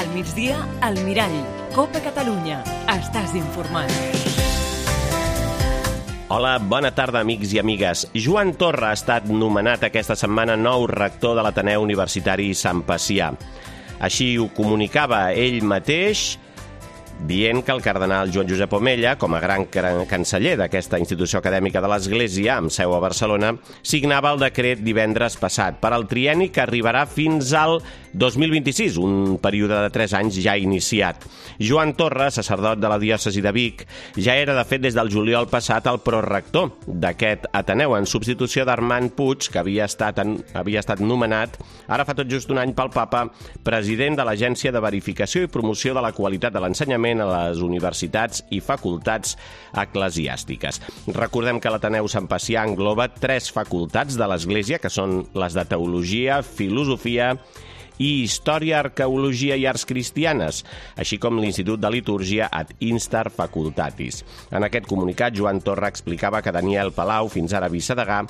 Al migdia, al Mirall. Copa Catalunya. Estàs informat. Hola, bona tarda, amics i amigues. Joan Torra ha estat nomenat aquesta setmana nou rector de l'Ateneu Universitari Sant Pacià. Així ho comunicava ell mateix, dient que el cardenal Joan Josep Omella, com a gran canceller d'aquesta institució acadèmica de l'Església, amb seu a Barcelona, signava el decret divendres passat per al trienni que arribarà fins al 2026, un període de 3 anys ja iniciat. Joan Torra, sacerdot de la diòcesi de Vic, ja era, de fet, des del juliol passat el prorector d'aquest Ateneu, en substitució d'Armand Puig, que havia estat nomenat, ara fa tot just un any, pel Papa, president de l'Agència de Verificació i Promoció de la Qualitat de l'Ensenyament a les universitats i facultats eclesiàstiques. Recordem que l'Ateneu Sant Pacià engloba 3 facultats de l'Església, que són les de Teologia, Filosofia i Història, Arqueologia i Arts Cristianes, així com l'Institut de Litúrgia ad Instar Facultatis. En aquest comunicat, Joan Torra explicava que Daniel Palau, fins ara vicedegà,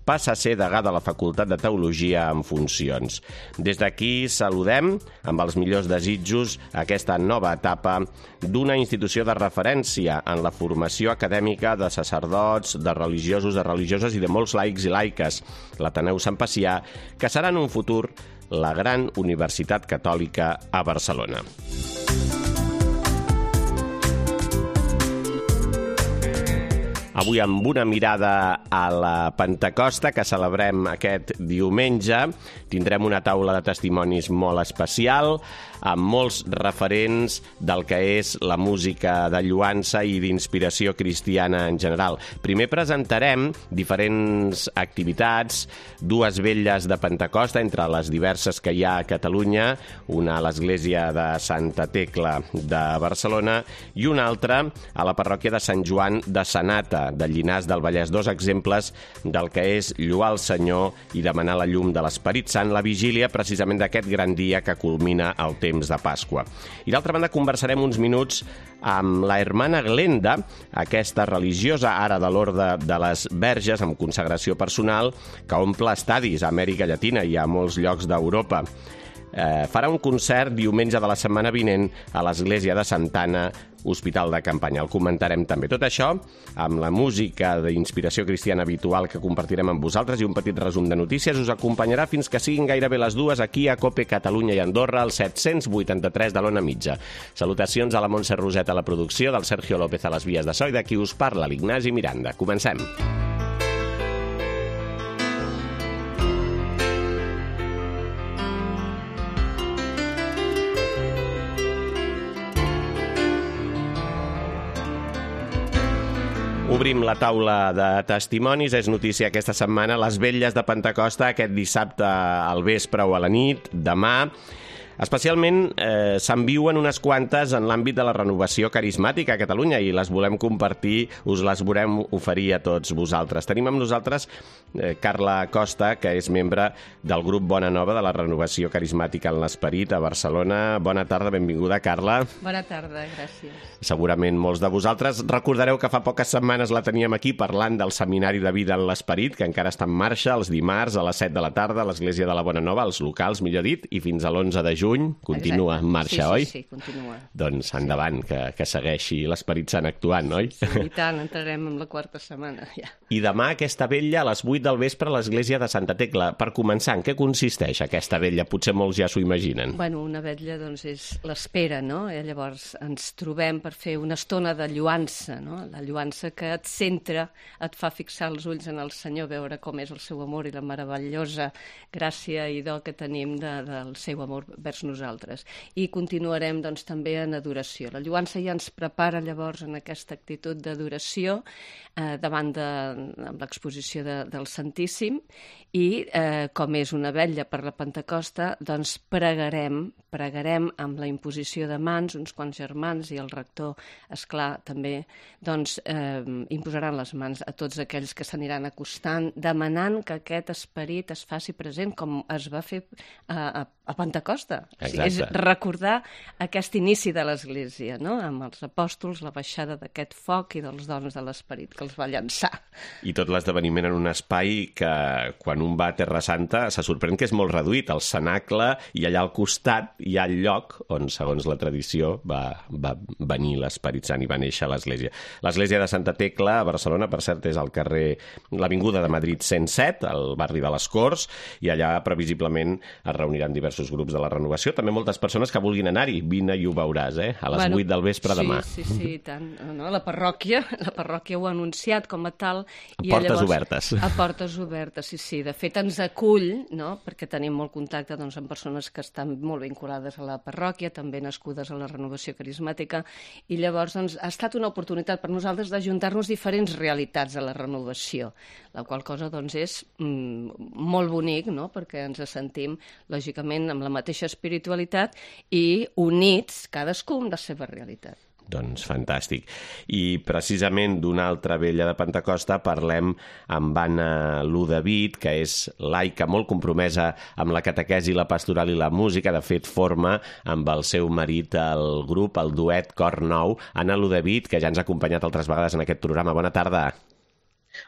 passa a ser degà de la Facultat de Teologia en funcions. Des d'aquí saludem, amb els millors desitjos, aquesta nova etapa d'una institució de referència en la formació acadèmica de sacerdots, de religiosos, de religioses i de molts laics i laiques, l'Ateneu Sant Pacià, que serà en un futur la gran Universitat Catòlica a Barcelona. Avui, amb una mirada a la Pentecosta, que celebrem aquest diumenge, tindrem una taula de testimonis molt especial, amb molts referents del que és la música de lloança i d'inspiració cristiana en general. Primer presentarem diferents activitats, 2 vetlles de Pentecosta, entre les diverses que hi ha a Catalunya, una a l'església de Santa Tecla de Barcelona i una altra a la parròquia de Sant Joan de Sanata, de Llinars del Vallès. 2 exemples del que és lloar el Senyor i demanar la llum de l'Esperit Sant, la vigília precisament d'aquest gran dia que culmina el temps de Pasqua. I d'altra banda conversarem uns minuts amb la hermana Glenda, aquesta religiosa ara de l'Orde de les Verges amb consagració personal que omple estadis a Amèrica Llatina i a molts llocs d'Europa. Farà un concert diumenge de la setmana vinent a l'església de Santa Anna, Hospital de Campanya. El comentarem també. Tot això amb la música d'inspiració cristiana habitual que compartirem amb vosaltres i un petit resum de notícies us acompanyarà fins que siguin gairebé les 2 aquí a Cope Catalunya i Andorra, al 783 de l'Ona Mitja. Salutacions a la Montse Roset a la producció, del Sergio López a les vies de so i de qui us parla, l'Ignasi Miranda. Comencem. Obrim la taula de testimonis. És notícia aquesta setmana les vetlles de Pentecosta, aquest dissabte al vespre o a la nit, demà. Especialment se'n viuen unes quantes en l'àmbit de la renovació carismàtica a Catalunya i les volem compartir, us les volem oferir a tots vosaltres. Tenim amb nosaltres Carla Costa, que és membre del grup Bona Nova de la renovació carismàtica en l'Esperit a Barcelona. Bona tarda, benvinguda, Carla. Bona tarda, gràcies. Segurament molts de vosaltres recordareu que fa poques setmanes la teníem aquí parlant del Seminari de Vida en l'Esperit, que encara està en marxa els dimarts a les 7 de la tarda a l'Església de la Bona Nova, als locals, millor dit, i fins a l'11 de juny. Continua en marxa, oi? Sí, continua. Doncs endavant, que segueixi l'Esperit Sant actuant, oi? Sí, i tant, entrarem en la 4ª setmana, ja. I demà aquesta vetlla a les 8 del vespre a l'església de Santa Tecla. Per començar, en què consisteix aquesta vetlla? Potser molts ja s'ho imaginen. Bueno, una vetlla, doncs, és l'espera, no? Llavors ens trobem per fer una estona de lloança, no? La lloança que et centra, et fa fixar els ulls en el Senyor, veure com és el seu amor i la meravellosa gràcia i do que tenim del seu amor vers nosaltres. I continuarem, doncs, també en adoració. La lloança ja ens prepara, llavors, en aquesta actitud d'adoració davant amb l'exposició del Santíssim i, com és una vetlla per la Pentecosta, doncs pregarem amb la imposició de mans, uns quants germans i el rector, esclar, també, doncs, imposaran les mans a tots aquells que s'aniran acostant, demanant que aquest esperit es faci present, com es va fer a Pentecosta, O sigui, és recordar aquest inici de l'Església, no? Amb els apòstols, la baixada d'aquest foc i dels dons de l'Esperit que els va llançar. I tot l'esdeveniment en un espai que, quan un va a Terra Santa, se sorprèn que és molt reduït, el cenacle, i allà al costat hi ha el lloc on, segons la tradició, va venir l'Esperit Sant i va néixer l'Església. L'Església de Santa Tecla, a Barcelona, per cert, és al carrer, l'Avinguda de Madrid 107, al barri de les Corts, i allà previsiblement es reuniran diversos grups de la renovació. També moltes persones que vulguin anar-hi. Vine i ho veuràs, a les 8 del vespre demà. Sí, i tant. No, la parròquia ho ha anunciat com a tal. I portes obertes. A portes obertes, sí. De fet, ens acull, no?, perquè tenim molt contacte amb persones que estan molt vinculades a la parròquia, també nascudes a la renovació carismàtica, i llavors ha estat una oportunitat per nosaltres d'ajuntar-nos diferents realitats a la renovació, la qual cosa és molt bonic, no?, perquè ens sentim, lògicament, amb la mateixa espiritualitat i units, cadascú amb la seva realitat. Doncs fantàstic. I precisament d'una altra vella de Pentecosta parlem amb Anna Ludavid, que és laica molt compromesa amb la catequesi, la pastoral i la música. De fet, forma amb el seu marit el grup, el duet Cor Nou. Anna Ludavid, que ja ens ha acompanyat altres vegades en aquest programa. Bona tarda.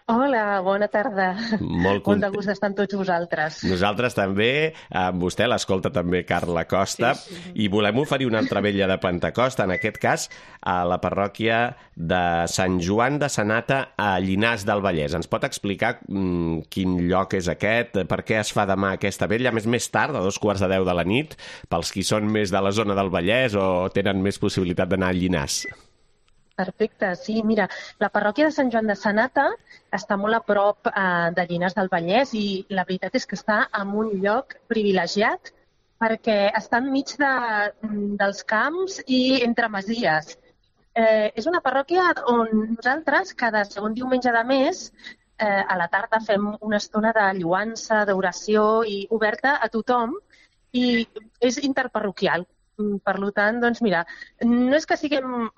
Hola, bona tarda. Molt de gust d'estar amb tots vosaltres. Nosaltres també, amb vostè, l'escolta també Carla Costa, i volem oferir una altra vella de Pentecosta, en aquest cas a la parròquia de Sant Joan de Sanata a Llinars del Vallès. Ens pot explicar quin lloc és aquest, per què es fa demà aquesta vella? Més tard, a 9:45 de la nit, pels qui són més de la zona del Vallès o tenen més possibilitat d'anar a Llinars? Perfecte, sí, mira, la parròquia de Sant Joan de Sanata està molt a prop de Llinars del Vallès i la veritat és que està en un lloc privilegiat perquè està enmig dels camps i entre masies. És una parròquia on nosaltres cada segon diumenge de mes a la tarda fem una estona de lloança, d'oració i oberta a tothom i és interparroquial. Per tant, doncs mira, no és que siguem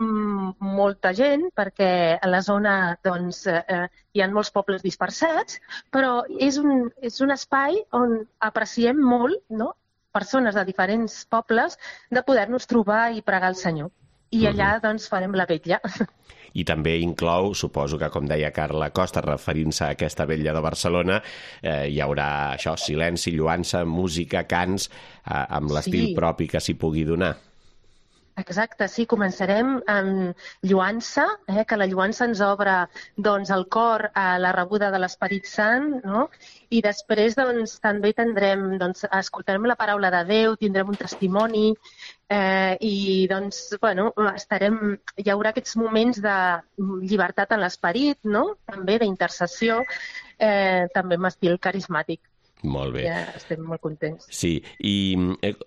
molta gent, perquè a la zona hi ha molts pobles dispersats, però és un espai on apreciem molt, no?, persones de diferents pobles, de poder-nos trobar i pregar al Senyor. I allà doncs farem la vetlla. I també inclou, suposo que, com deia Carla Costa, referint-se a aquesta vetlla de Barcelona, hi haurà això, silenci, lloança, música, cants, amb l'estil propi que s'hi pugui donar. Exacte, sí, començarem amb lloança, que la lloança ens obre el cor a la rebuda de l'Esperit Sant, no? I després també escoltarem la paraula de Déu, tindrem un testimoni i hi haurà aquests moments de llibertat en l'esperit, no? També d'intercessió, també amb estil carismàtic. Molt bé. Ja estem molt contents. Sí, i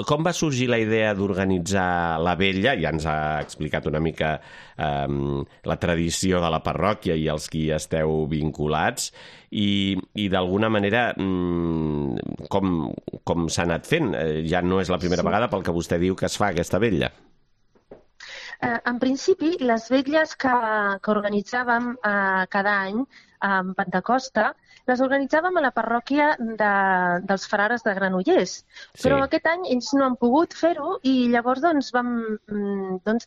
com va sorgir la idea d'organitzar la vetlla? Ja ens ha explicat una mica la tradició de la parròquia i els qui esteu vinculats, i d'alguna manera com s'ha anat fent? Ja no és la primera vegada pel que vostè diu que es fa aquesta vetlla. En principi, les vetlles que organitzàvem cada any en Pentecosta les organitzàvem a la parròquia dels frares de Granollers, però aquest any ells no han pogut fer-ho i llavors vam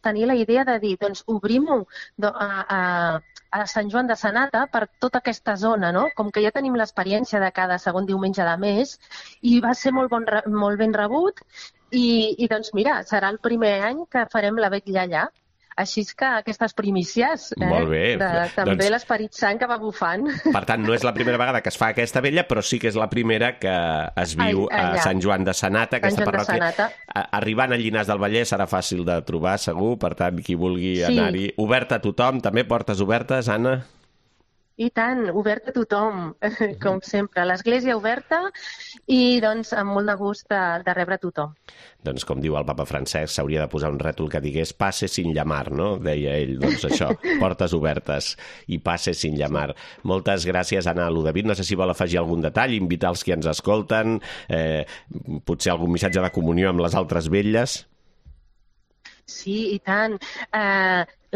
tenir la idea de dir obrim-ho a Sant Joan de Sanata per tota aquesta zona, no? Com que ja tenim l'experiència de cada segon diumenge de mes i va ser molt ben rebut i doncs mira, serà el primer any que farem la vetlla allà. Així és que aquestes primícies, també l'Esperit Sant que va bufant. Per tant, no és la primera vegada que es fa aquesta vetlla, però sí que és la primera que es viu a Sant Joan de Sanata, aquesta parròquia. Arribant a Llinars del Vallès serà fàcil de trobar, segur, per tant, qui vulgui anar-hi. Oberta a tothom, també portes obertes, Anna? I tant, obert a tothom, com sempre. L'església oberta i doncs amb molt de gust de rebre tothom. Doncs com diu el papa Francesc, s'hauria de posar un rètol que digués passe sin llamar, no? Deia ell, doncs això, portes obertes i passe sin llamar. Moltes gràcies, Anna Ludavid. No sé si vol afegir algun detall, invitar els que ens escolten, potser algun missatge de comunió amb les altres vetlles. Sí, i tant.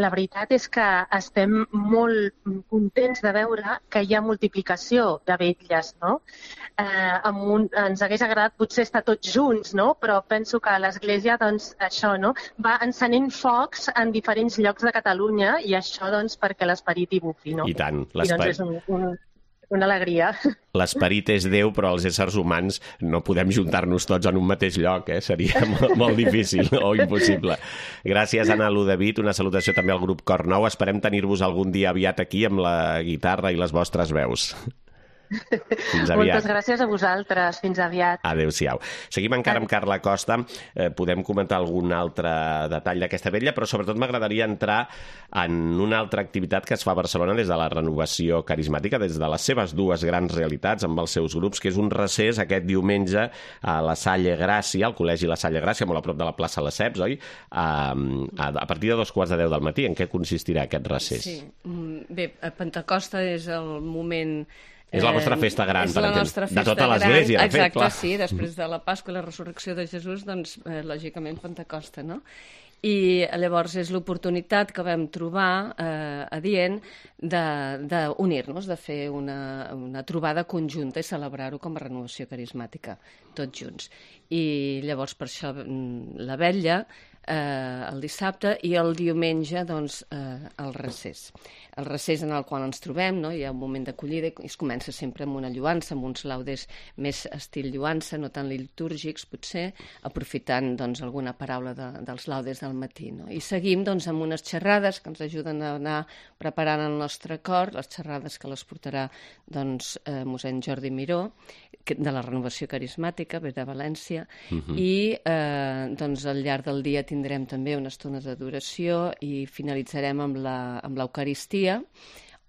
la veritat és que estem molt contents de veure que hi ha multiplicació de vetlles, no? Ens hagués agradat potser estar tots junts, no? Però penso que l'Església, doncs, això, no? Va encenent focs en diferents llocs de Catalunya i això, doncs, perquè l'esperit hi bufi, no? I tant. I doncs és una alegria. L'esperit és Déu, però els éssers humans no podem juntar-nos tots en un mateix lloc, seria molt difícil o impossible. Gràcies, Anna Ludevit. Una salutació també al grup Cor Nou. Esperem tenir-vos algun dia aviat aquí amb la guitarra i les vostres veus. Fins aviat. Moltes gràcies a vosaltres. Fins aviat. Adéu-siau. Seguim encara amb Carla Costa. Podem comentar algun altre detall d'aquesta vetlla, però sobretot m'agradaria entrar en una altra activitat que es fa a Barcelona des de la Renovació Carismàtica, des de les seves dues grans realitats amb els seus grups, que és un recés aquest diumenge a la Salle Gràcia, al Col·legi La Salle Gràcia, molt a prop de la plaça Lesseps, oi? A partir de 2:15 del matí. En què consistirà aquest recés? Sí. Bé, Pentecosta és el moment... És la vostra festa gran, per exemple, de tota gran. l'Església, de fet, clar. Exacte, sí, després de la Pasqua i la resurrecció de Jesús, doncs, lògicament, Pentecosta, no? I llavors és l'oportunitat que vam trobar adient d'unir-nos, de fer una trobada conjunta i celebrar-ho com a renovació carismàtica, tots junts. I llavors per això la vetlla el dissabte i el diumenge doncs, el recés. El recés en el qual ens trobem, no? Hi ha un moment d'acollida i es comença sempre amb una lloança, amb uns laudes més estil lloança, no tan litúrgics potser, aprofitant doncs, alguna paraula dels laudes del matí. No? I seguim doncs, amb unes xerrades que ens ajuden a anar preparant el nostre cor, les xerrades que les portarà doncs, mossèn Jordi Miró, de la Renovació Carismàtica, ve de València, i doncs, al llarg del dia tindrem també una estona d'adoració i finalitzarem amb l'Eucaristia,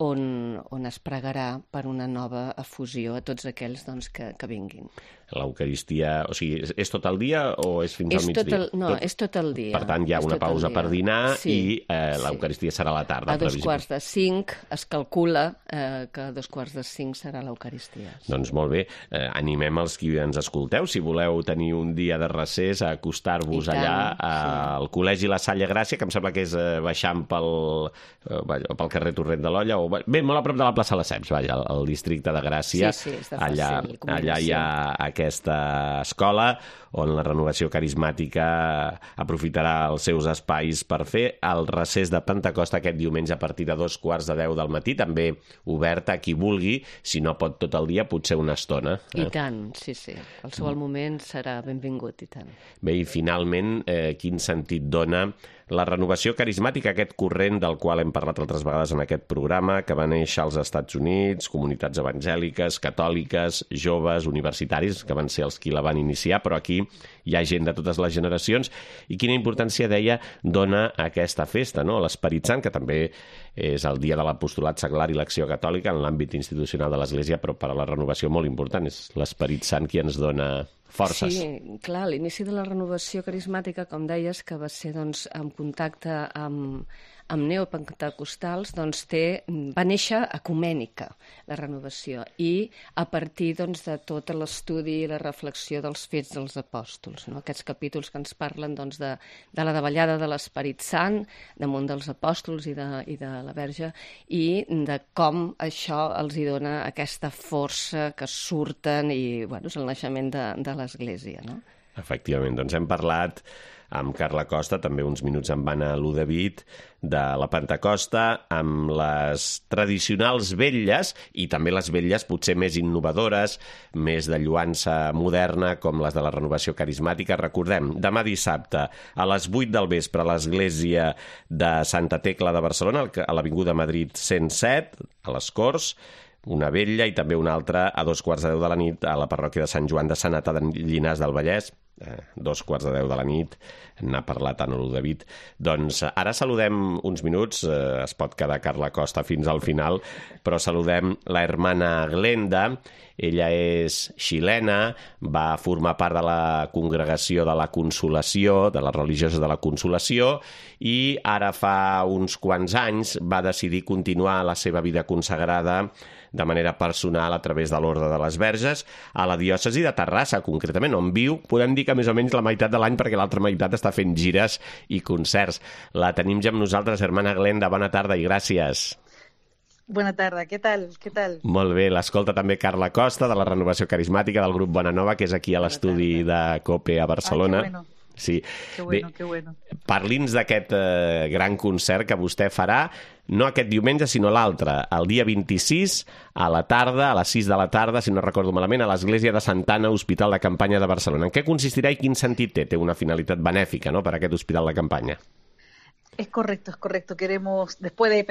on es pregarà per una nova efusió a tots aquells doncs, que vinguin. L'Eucaristia, o sigui, és tot el dia o és fins al migdia? És tot el dia. Per tant, hi ha una pausa per dinar i l'Eucaristia serà a la tarda. A 4:45 es calcula que a 4:45 serà l'Eucaristia. Doncs molt bé, animem els qui ens escolteu, si voleu tenir un dia de recés, a acostar-vos allà al Col·legi La Salle Gràcia, que em sembla que és baixant pel carrer Torrent de l'Olla, bé, molt a prop de la plaça Lesseps, al districte de Gràcia. Sí, és de fàcil comunicació. Allà hi ha aquesta escola on la Renovació Carismàtica aprofitarà els seus espais per fer el recés de Pentecosta aquest diumenge a partir de 9:15 del matí, també obert a qui vulgui, si no pot tot el dia, potser una estona. I tant, sí. Qualsevol moment serà benvingut, i tant. Bé, i finalment, quin sentit dona la Renovació Carismàtica, aquest corrent del qual hem parlat altres vegades en aquest programa, que va néixer als Estats Units, comunitats evangèliques, catòliques, joves, universitaris, que van ser els qui la van iniciar, però aquí hi ha gent de totes les generacions, i quina importància, deia, dona aquesta festa, no? L'Esperit Sant, que també és el dia de l'apostolat seglar i l'acció catòlica en l'àmbit institucional de l'Església, però per a la renovació molt important, és l'Esperit Sant qui ens dona forces. Sí, clar, l'inici de la Renovació Carismàtica, com deies, que va ser doncs, en contacte amb neopentecostals, doncs, va néixer ecumènica, la renovació, i a partir doncs, de tot l'estudi i la reflexió dels fets dels apòstols, no? Aquests capítols que ens parlen doncs, de la davallada de l'Esperit Sant damunt dels apòstols i de la Verge, i de com això els hi dona aquesta força que surten i és el naixement de l'Església, no? Efectivament, doncs hem parlat amb Carla Costa, també uns minuts amb Anna Ludevit, de la Pentecosta, amb les tradicionals vetlles i també les vetlles potser més innovadores, més de lloança moderna, com les de la Renovació Carismàtica. Recordem, demà dissabte a les 8 del vespre a l'Església de Santa Tecla de Barcelona, a l'Avinguda Madrid 107, a les Corts, una vetlla, i també una altra a 9:15 de la nit a la parròquia de Sant Joan de Sanata de Llinars del Vallès, 9:15 de la nit, n'ha parlat Anna Ludevit. Doncs ara saludem uns minuts, es pot quedar Carla Costa fins al final, però saludem la hermana Glenda. Ella és xilena, va formar part de la congregació de la Consolació, de les religioses de la Consolació, i ara fa uns quants anys va decidir continuar la seva vida consagrada de manera personal a través de l'Orde de les Verges a la diòcesi de Terrassa, concretament, on viu, podem dir que més o menys la meitat de l'any, perquè l'altra meitat està fent gires i concerts. La tenim ja amb nosaltres, Hermana Glenda, bona tarda i gràcies. Bona tarda, què tal? Molt bé, l'escolta també Carla Costa, de la Renovació Carismàtica del grup Bona Nova, que és aquí a l'estudi de COPE a Barcelona. Que bueno. Sí. Que bueno. Parli'ns d'aquest gran concert que vostè farà, no aquest diumenge, sinó l'altre, el dia 26, a la tarda, a les 6 de la tarda, si no recordo malament, a l'Església de Santa Anna, Hospital de Campanya de Barcelona. En què consistirà i quin sentit té? Té una finalitat benèfica, no?, per aquest Hospital de Campanya. Es correcto. Queremos, después de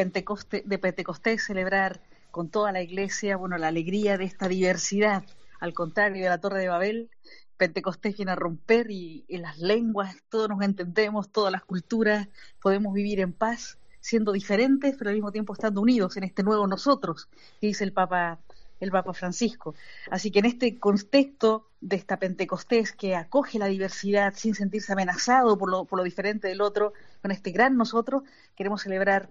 Pentecostés, celebrar con toda la Iglesia, la alegría de esta diversidad. Al contrario de la Torre de Babel, Pentecostés viene a romper y las lenguas, todos nos entendemos, todas las culturas, podemos vivir en paz, siendo diferentes, pero al mismo tiempo estando unidos en este nuevo nosotros, que dice el Papa Francisco. Así que en este contexto de esta Pentecostés que acoge la diversidad sin sentirse amenazado por lo diferente del otro, con este gran nosotros, queremos celebrar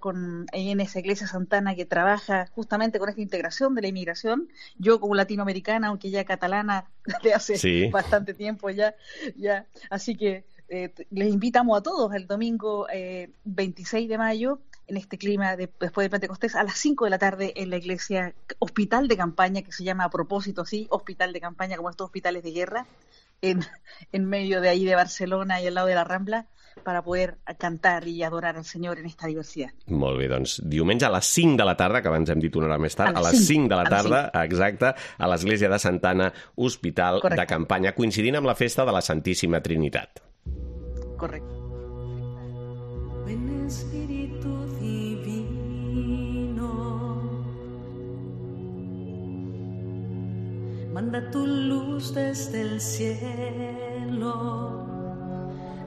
en esa iglesia santana que trabaja justamente con esta integración de la inmigración. Yo como latinoamericana, aunque ya catalana de hace bastante tiempo ya. Así que les invitamos a todos el domingo 26 de mayo, en este clima después de Pentecostés, a las 5 de la tarde en la iglesia Hospital de Campaña, que se llama a propósito así, Hospital de Campaña, como estos hospitales de guerra, en medio de ahí de Barcelona y al lado de la Rambla, para poder cantar i adorar al Senyor en esta diversitat. Molt bé, doncs diumenge a les 5 de la tarda, que abans hem dit una hora més tard, a les 5 de la tarda, exacte, a l'Església de Santa Anna, Hospital de Campanya, coincidint amb la festa de la Santíssima Trinitat. Correcte. Ven Espíritu Divino, manda tu luz desde el cielo,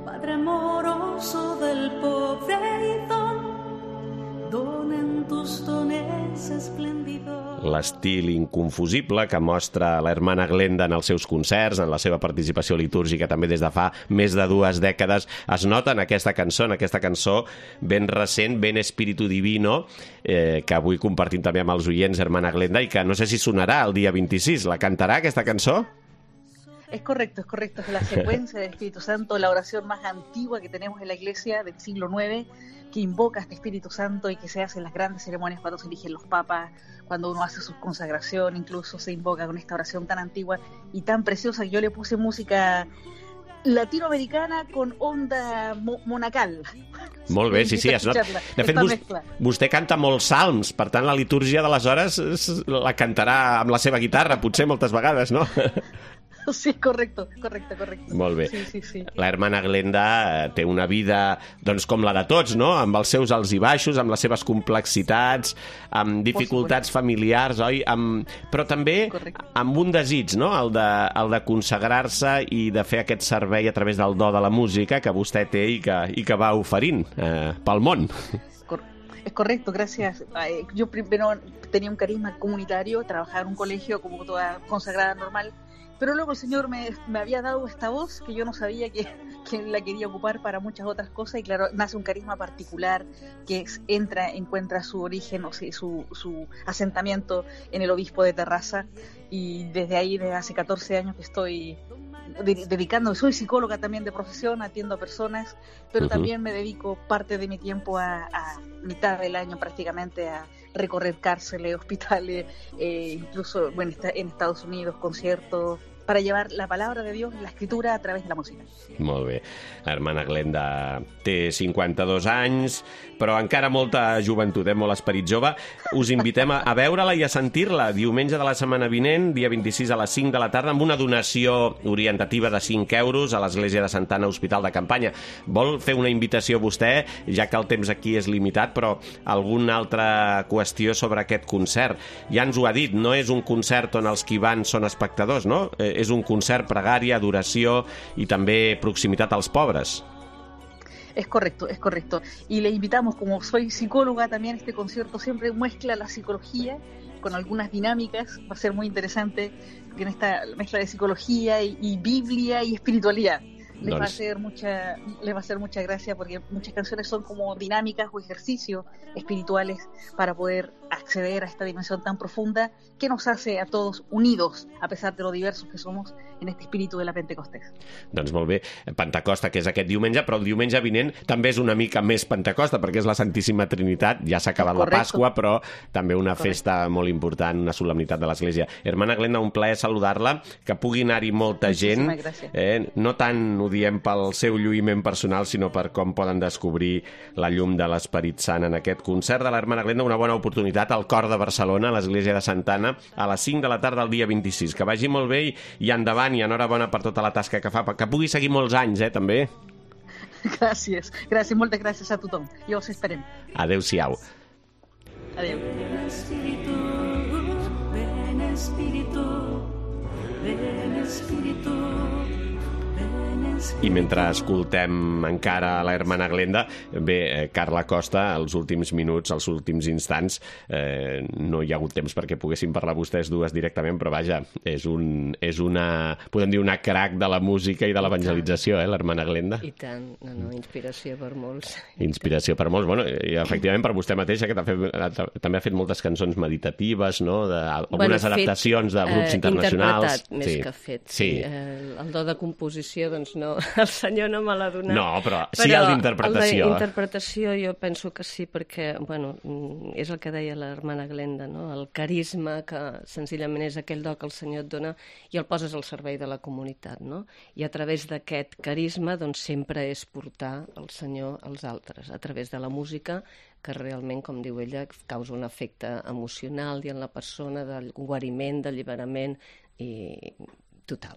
Padre amoroso del pobre y don en tus dones espléndidos. L'estil inconfusible que mostra la Hermana Glenda en els seus concerts, en la seva participació litúrgica també des de fa més de 2 dècades, es nota en aquesta cançó ben recent, ben Espíritu Divino, que avui compartim també amb els oients, Hermana Glenda, i que no sé si sonarà el dia 26. La cantarà, aquesta cançó? Es correcto, es la secuencia del Espíritu Santo, la oración más antigua que tenemos en la Iglesia del siglo IX, que invoca a este Espíritu Santo y que se hace en las grandes ceremonias cuando se eligen los papas, cuando uno hace su consagración, incluso se invoca con esta oración tan antigua y tan preciosa que yo le puse música latinoamericana con onda monacal. Molt bé, sí, es nota. De fet, vostè canta molts salms, per tant la litúrgia de les hores la cantarà amb la seva guitarra, potser moltes vegades, no? Sí, correcte. Molt bé. Sí. La Hermana Glenda té una vida, doncs, com la de tots, no? Amb els seus alts i baixos, amb les seves complexitats, amb dificultats familiars, oi? Però també amb un desig, no? El de consagrar-se i de fer aquest servei a través del do de la música que vostè té i que va oferint pel món. Es correcto, gracias. Yo primero tenía un carisma comunitario, trabajaba en un colegio como toda consagrada normal, pero luego el Señor me había dado esta voz que yo no sabía que la quería ocupar para muchas otras cosas, y claro, nace un carisma particular que encuentra su origen, o sea, su asentamiento en el obispo de Terrassa, y desde ahí, desde hace 14 años que estoy dedicándome, soy psicóloga también de profesión, atiendo a personas, pero también me dedico parte de mi tiempo a mitad del año prácticamente a recorrer cárceles, hospitales, incluso en Estados Unidos, conciertos, para llevar la palabra de Dios, la escritura, a través de la música. Molt bé. L'Hermana Glenda té 52 anys, però encara molta joventut, molt esperit jove. Us invitem a veure-la i a sentir-la diumenge de la setmana vinent, dia 26 a les 5 de la tarda, amb una donació orientativa de 5 euros a l'Església de Santa Anna, Hospital de Campanya. Vol fer una invitació vostè, ja que el temps aquí és limitat, però alguna altra qüestió sobre aquest concert? Ja ens ho ha dit, no és un concert on els que hi van són espectadors, no? És un concert, pregària, adoració i també proximitat als pobres. Es correcto. Y le invitamos, como soy psicóloga, también este concierto siempre mezcla la psicología con algunas dinámicas. Va a ser muy interesante en esta mezcla de psicología y Biblia y espiritualidad. Les va a hacer mucha gracia, porque muchas canciones son como dinámicas o ejercicios espirituales para poder acceder a esta dimensión tan profunda que nos hace a todos unidos, a pesar de lo diversos que somos en este espíritu de la Pentecostés. Doncs molt bé, Pentecosta, que és aquest diumenge, però el diumenge vinent també és una mica més Pentecosta, perquè és la Santíssima Trinitat, ja s'ha acabat la Pasqua, però també una festa molt important, una solemnitat de l'Església. Hermana Glenda, un plaer saludar-la, que pugui anar-hi molta gent. No tant ho diem pel seu lluïment personal, sinó per com poden descobrir la llum de l'Esperit Sant en aquest concert de l'Hermana Glenda, una bona oportunitat al cor de Barcelona, a l'Església de Santa Anna, a les 5 de la tarda del dia 26. Que vagi molt bé i endavant, i enhorabona per tota la tasca que fa, que pugui seguir molts anys, també. Gràcies, moltes gràcies a tothom. I us esperem. Adéu-siau. Adéu. Ven Espíritu, ven Espíritu, ven Espíritu. I mentre escoltem encara la Hermana Glenda, bé, Carla Costa, els últims minuts, els últims instants, no hi ha hagut temps perquè poguessin parlar vostès dues directament, però vaja, és una, podem dir, una crac de la música i de l'evangelització, l'Hermana Glenda. I tant, inspiració per molts. Inspiració per molts, bueno, i efectivament per vostè mateixa, que també ha fet moltes cançons meditatives, no? Algunes adaptacions de grups internacionals. Interpretat, més que fet. Sí. El do de composició, doncs no, el senyor no me l'ha donat. No, però sí el d'interpretació. El d'interpretació jo penso que sí, perquè, bueno, és el que deia l'Hermana Glenda, no? El carisma, que senzillament és aquell do que el senyor et dona i el poses al servei de la comunitat, no? I a través d'aquest carisma, doncs, sempre és portar el senyor als altres, a través de la música, que realment, com diu ella, causa un efecte emocional i en la persona del guariment, d'alliberament i total.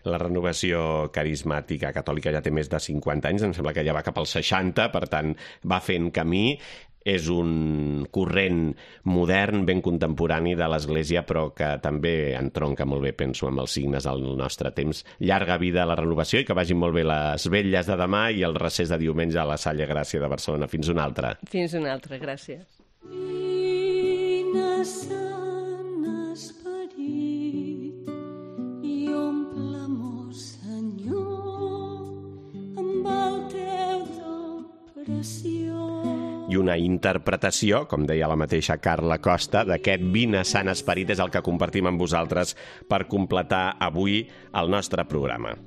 La renovació carismàtica catòlica ja té més de 50 anys, em sembla que ja va cap als 60, per tant va fent camí. És un corrent modern, ben contemporani de l'Església, però que també entronca molt bé, penso, amb els signes del nostre temps. Llarga vida a la renovació i que vagin molt bé les vetlles de demà i el recés de diumenge a la Salle Gràcia de Barcelona. Fins una altra. Fins una altra, gràcies. I una interpretació, com deia la mateixa Carla Costa, d'aquest Vine Sant Esperit és el que compartim amb vosaltres per completar avui el nostre programa.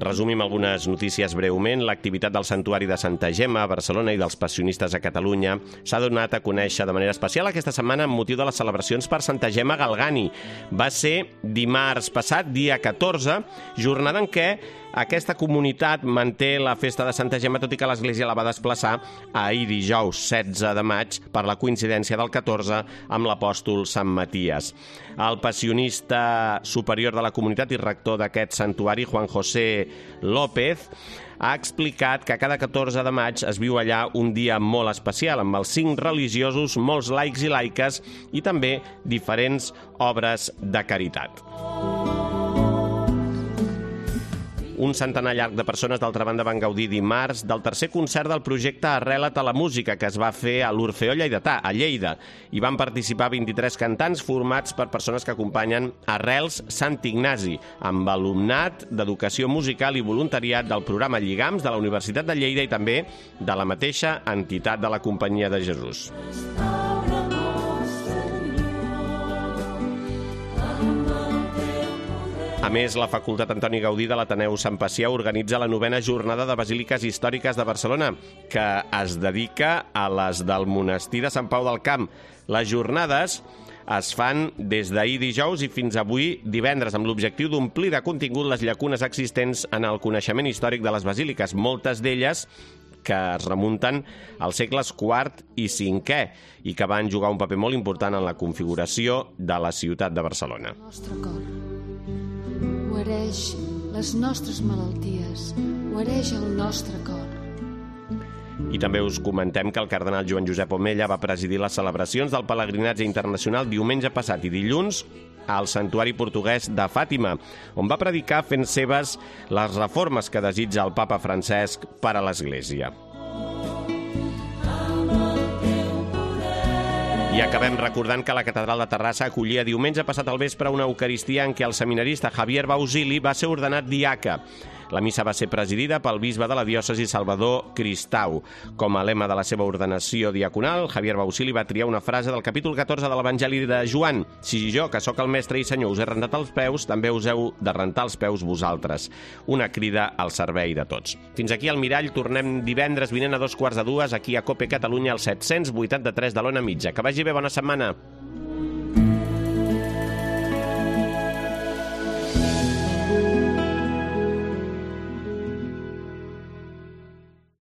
Resumim algunes notícies breument. L'activitat del Santuari de Santa Gemma a Barcelona i dels Passionistes a Catalunya s'ha donat a conèixer de manera especial aquesta setmana amb motiu de les celebracions per Santa Gemma Galgani. Va ser dimarts passat, dia 14, jornada en què aquesta comunitat manté la festa de Santa Gemma, tot i que l'Església la va desplaçar a ahir dijous 16 de maig per la coincidència del 14 amb l'apòstol Sant Maties. El passionista superior de la comunitat i rector d'aquest santuari, Juan José López, ha explicat que cada 14 de maig es viu allà un dia molt especial, amb els 5 religiosos, molts laics i laiques i també diferents obres de caritat. Un centenar llarg de persones, d'altra banda, van gaudir dimarts del tercer concert del projecte Arrela't a la música, que es va fer a l'Orfeó Lleidatà, a Lleida. Hi van participar 23 cantants formats per persones que acompanyen Arrels Sant Ignasi, amb alumnat d'educació musical i voluntariat del programa Lligams de la Universitat de Lleida i també de la mateixa entitat de la Companyia de Jesús. A més, la Facultat Antoni Gaudí de l'Ateneu Sant Pacià organitza la 9a jornada de Basíliques Històriques de Barcelona, que es dedica a les del monestir de Sant Pau del Camp. Les jornades es fan des d'ahir dijous i fins avui divendres, amb l'objectiu d'omplir de contingut les llacunes existents en el coneixement històric de les basíliques, moltes d'elles que es remunten als segles IV i V i que van jugar un paper molt important en la configuració de la ciutat de Barcelona. El nostre cor guareix les nostres malalties, guareix el nostre cor. I també us comentem que el cardenal Joan Josep Omella va presidir les celebracions del pelegrinatge internacional diumenge passat i dilluns al santuari portuguès de Fàtima, on va predicar fent seves les reformes que desitja el papa Francesc per a l'Església. I acabem recordant que la Catedral de Terrassa acollia diumenge passat al vespre una eucaristia en què el seminarista Javier Bausili va ser ordenat diaca. La missa va ser presidida pel bisbe de la diòcesi Salvador Cristau. Com a lema de la seva ordenació diaconal, Javier Bausili va triar una frase del capítol 14 de l'Evangeli de Joan: «Si jo, que sóc el mestre i senyor, us he rentat els peus, també us heu de rentar els peus vosaltres». Una crida al servei de tots. Fins aquí al Mirall. Tornem divendres vinent a 2:15 aquí a COPE Catalunya, al 783 de l'Ona Mitja. Que vagi bé, bona setmana.